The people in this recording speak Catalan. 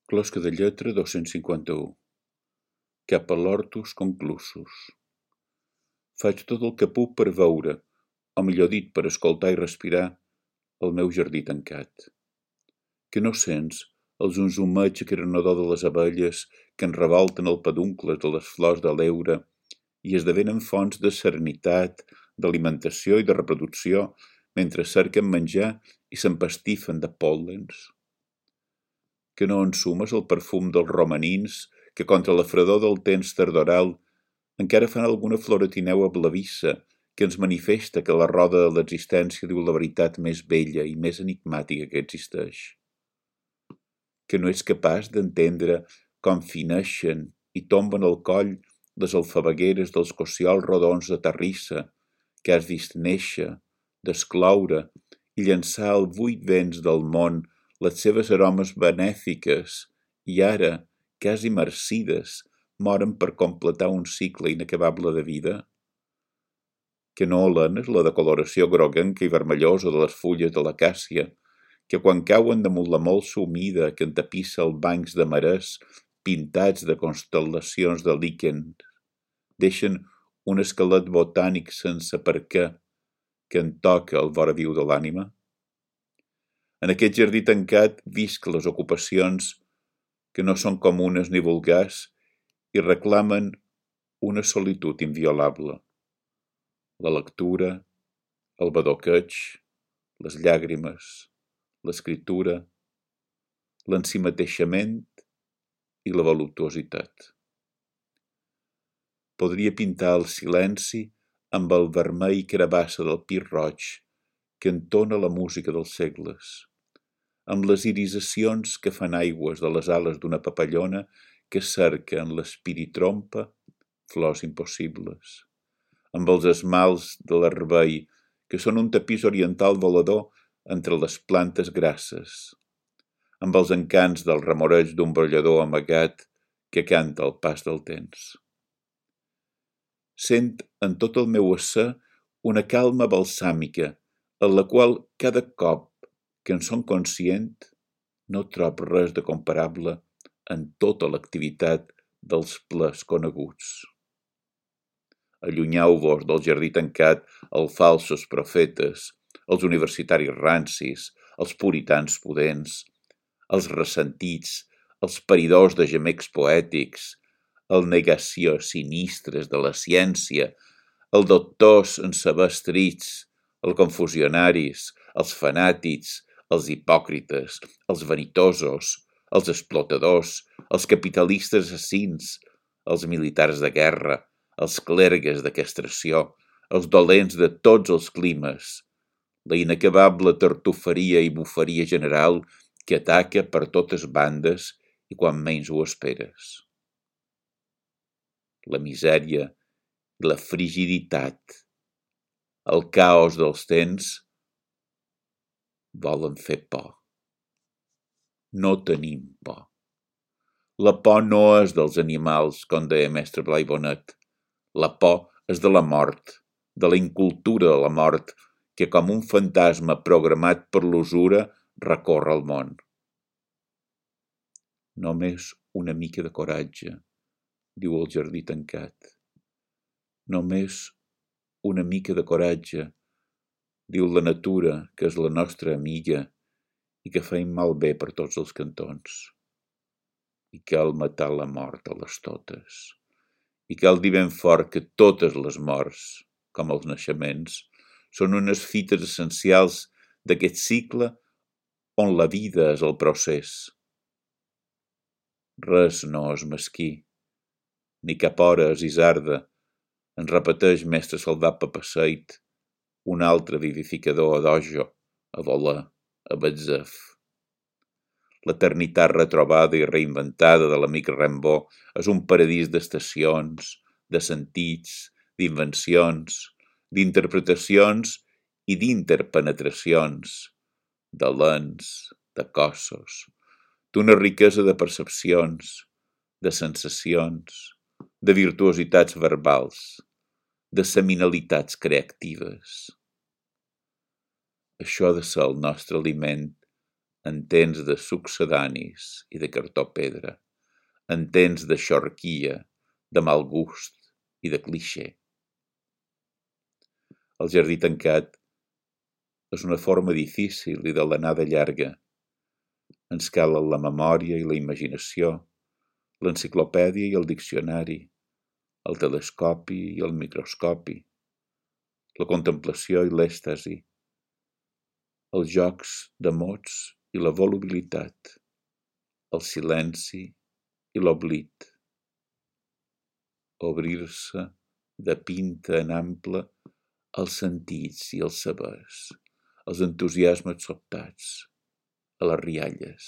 Closca de lletra 251. Cap a l'hortus conclusus. Faig tot el que puc per veure, o millor dit, per escoltar i respirar, el meu jardí tancat. Que no sents el zunzumeig aclaronador de les abelles que en revolten el peduncle de les flors de l'heura i esdevenen fonts de serenitat, d'alimentació i de reproducció mentre cerquen menjar i s'empastifen de pol·lens. Que no ensumes el perfum dels romanins que contra la fredor del temps tardoral encara fan alguna floretineu blavissa que ens manifesta que la roda de l'existència diu la veritat més bella i més enigmàtica que existeix. Que no ets capaç d'entendre com fineixen i tomben al coll les alfabegueres dels cociols rodons de terrissa que has vist néixer, descloure i llançar al buit vents del món les seves aromes benèfiques i ara, quasi marcides, moren per completar un cicle inacabable de vida? Que no olenes la decoloració groguenca i vermellosa de les fulles de l'acàcia, que quan cauen damunt la molsa humida que entapissa els bancs de marès pintats de constel·lacions de líquens, deixen un esquelet botànic sense per què que en toca el vora viu de l'ànima? En aquest jardí tancat visc les ocupacions que no són comunes ni vulgars i reclamen una solitud inviolable. La lectura, el badoqueig, les llàgrimes, l'escriptura, l'ensimateixament i la voluptuositat. Podria pintar el silenci amb el vermell carabassa del pi roig que entona la música dels segles, amb les irisacions que fan aigües de les ales d'una papallona que cerca en l'espiritrompa flors impossibles, amb els esmalts de l'herbei que són un tapís oriental volador entre les plantes grasses, amb els encants del remoreig d'un brollador amagat que canta al pas del temps. Sent en tot el meu ésser una calma balsàmica, en la qual cada cop que en som conscient no trob res de comparable en tota l'activitat dels plers coneguts. Allunyeu-vos del jardí tancat els falsos profetes, els universitaris rancis, els puritans pudents, els ressentits, els paridors de gemecs poètics, el negació sinistres de la ciència, els doctors en saber estrits, els confusionaris, els fanàtics, els hipòcrites, els vanitosos, els explotadors, els capitalistes assassins, els militars de guerra, els clergues de castració, els dolents de tots els climes, la inacabable tartuferia i bufaria general que ataca per totes bandes i quan menys ho esperes. La misèria i la frigiditat, el caos dels temps, volen fer por. No tenim por. La por no és dels animals, com deia mestre Blai Bonet. La por és de la mort, de la incultura de la mort, que com un fantasma programat per l'usura recorre el món. Només una mica de coratge, diu el jardí tancat. Només una mica de coratge, diu la natura, que és la nostra amiga i que feim malbé per tots els cantons. I cal matar la mort a les totes. I cal dir ben fort que totes les morts, com els naixements, són unes fites essencials d'aquest cicle on la vida és el procés. Res no és mesquí, ni cap hora és isarda, ens repeteix mestre Salvat Papasseit, un altre vivificador a dojo, a voler, a Betzef. L'eternitat retrobada i reinventada de l'amic Rimbaud és un paradís d'estacions, de sentits, d'invencions, d'interpretacions i d'interpenetracions, de lents, de cossos, d'una riquesa de percepcions, de sensacions, de virtuositats verbals, de seminalitats creatives. Això ha de ser el nostre aliment en temps de succedanis i de cartó pedra, en temps de xorquia, de mal gust i de clixé. El jardí tancat és una forma difícil i de l'anada llarga. Ens calen la memòria i la imaginació, l'enciclopèdia i el diccionari, el telescopi i el microscopi, la contemplació i l'èxtasi, els jocs de mots i la volubilitat, el silenci i l'oblit. Obrir-se de pinta en ample als sentits i als sabers, als entusiasmes sobtats, a les rialles.